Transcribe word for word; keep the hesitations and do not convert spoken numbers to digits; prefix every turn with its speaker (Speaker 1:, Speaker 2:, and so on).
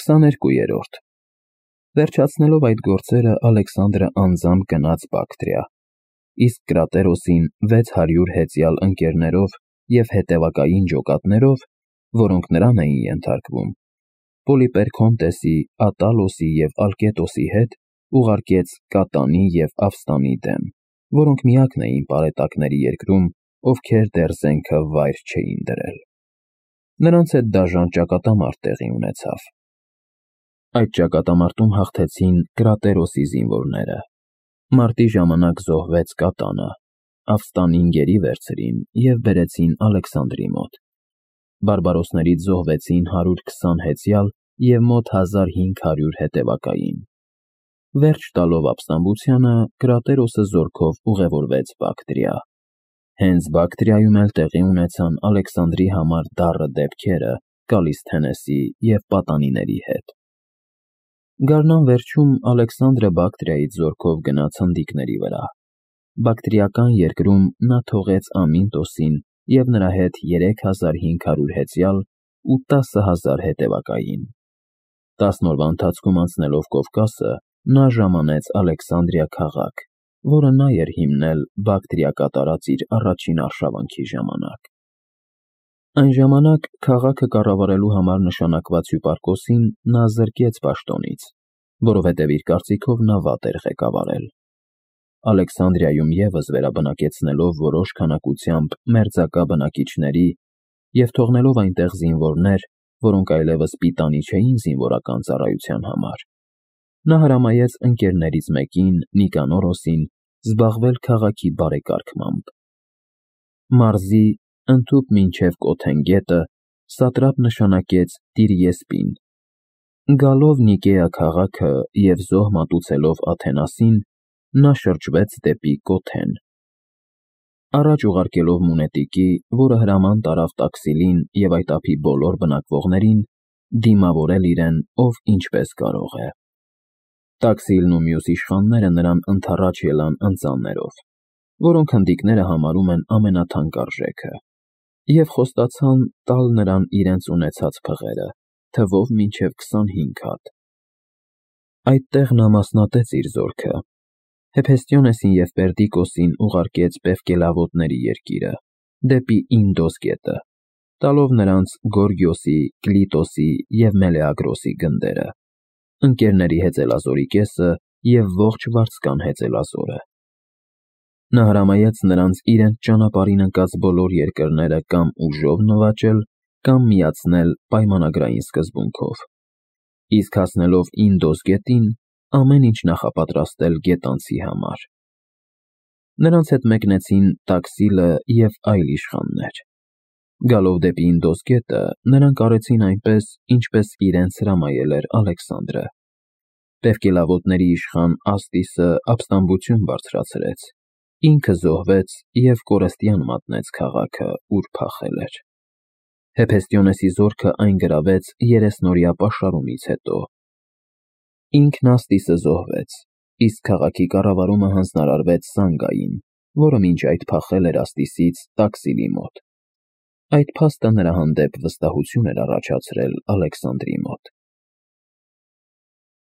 Speaker 1: քսաներկուերորդ Վերջացնելով այդ գործերը Ալեքսանդրը անձամբ գնաց Բակտրիա, իսկ Կրատերոսին վեց հարյուր հեծյալ ընկերներով և հետևակային ջոկատներով, որոնք նրան էին ենթարկվում, Պոլիպերքոնտեսի, Ատալոսի և Ալկետոսի հետ ուղարկեց Կատանի և Ավստանի դեմ, որոնք միակն էին պարետակների երկրում, ովքեր դեռ զենքը վայր չէին դրել։ Նրանց հետ դաժան ճակատամարտ տեղի ունեցավ։ Այդ ճակատամարտում հաղթեցին Կրատերոսի զինվորները։ Մարտի ժամանակ զոհվեց Կատանը, Ավստանին գերի վերցրին և բերեցին Ալեքսանդրի մոտ։ Բարբարոսներից զոհվեցին հարյուր քսան հեծյալ և մոտ հազար հինգ հարյուր հետևակային։ Վերջ տալով ապստամբությանը, Կրատերոսը զորքով ուղևորվեց Բակտրիա։ Հենց Բակտրիայում էլ տեղի ունեցան Ալեքսանդրի համար դառը դեպքերը Կալիսթենեսի և պատանիների հետ։ Գարնան վերջում Ալեքսանդրը Բակտրիայից զորքով գնաց հնդիկների վրա։ Բակտրիական երկրում նա թողեց Ամինտոսին և նրա հետ երեք հազար հինգ հարյուր հեծյալ ու տասը հազար հետևակային։ Տասն օրվա ընթացքում անցնելով Կովկասը, նա ժամանեց Ալեքսանդրիա քաղաք, որը նա էր հիմնել Բակտրիա կատարած իր առաջին արշավանքի ժամանակ։ Այն ժամանակ քաղաքը կառավարելու համար նշանակված հյուպարկոսին նա զրկեց պաշտոնից, որովհետև իր կարծիքով նա վատ էր ղեկավարել։ Ալեքսանդրիայում ևս վերաբնակեցնելով որոշ քանակությամբ մերձակա բնակիչների և թողնելով այնտեղ զինվորներ, որոնք այլևս պիտանի չէին զինվորական ծառայության համար, նա հրամայեց ընկերներից մեկին, Նիկանորոսին, զբաղվել քաղաքի բարեկարգմամբ։ Մարզի ընդհուպ մինչև Կոթեն գետը սատրապ նշանակեց Տիրիեսպին։ Գալով Նիկեա քաղաքը և զոհ մատուցելով Աթենասին, նա շրջվեց դեպի Կոթեն։ Առաջ ուղարկելով Մունետիկի, որը հրաման տարավ Տաքսիլին և այդ ափի բոլոր բնակվողներին, դիմավորել իրեն, ով ինչպես կարող է։ Տաքսիլն ու մյուս իշխանները նրան ընդառաջ ելան ընծաններով, որոնք հնդիկները համարում են ամենաթանկարժեքը, և խոստացան տալ նրան իրենց ունեցած փղերը, թվով մինչև քսանհինգ հատ։ Այդտեղ նա մասնատեց իր զորքը, Հեփեստիոնեսին և Պերդիկոսին ուղարկեց Պևկելավոտների երկիրը, դեպի Ինդոս գետը, տալով նրանց Գորգիոսի, Կլիտոսի և Մելեագրոսի գնդերը, ընկերների հեծելազորի կեսը և ողջ վարձկան հեծելազորը։ Նա հրամայեց նրանց իրենց ճանապարհին ընկած բոլոր երկրները կամ ուժով նվաճել, կամ միացնել պայմանագրային սկզբունքով, իսկ հասնելով Ինդոս գետին, ամեն ինչ նախապատրաստել գետանցի համար։ Նրանց հետ մեկնեցին Տաքսիլը և այլ իշխաններ։ Գալով դեպի Ինդոս գետը, նրանք արեցին այնպես, ինչպես իրենց հրամայել էր Ալեքսանդրը։ Պևկելավոտների իշխան Աստիսը ապստամբություն բարձրացրեց, ինքը զոհվեց և կորստյան մատնեց քաղաքը, ուր փախել էր։ Հեփեստիոնեսի զորքը այն գրավեց երեսնօրյա պաշարումից հետո։ Ինքն Աստիսը զոհվեց, իսկ քաղաքի կառավարումը հանձնարարվեց Սանգային, որը մինչ այդ փախել էր Աստիսից Տաքսիլի մոտ։ Այդ փաստը նրա հանդեպ վստահություն էր առաջացրել Ալեքսանդրի մոտ։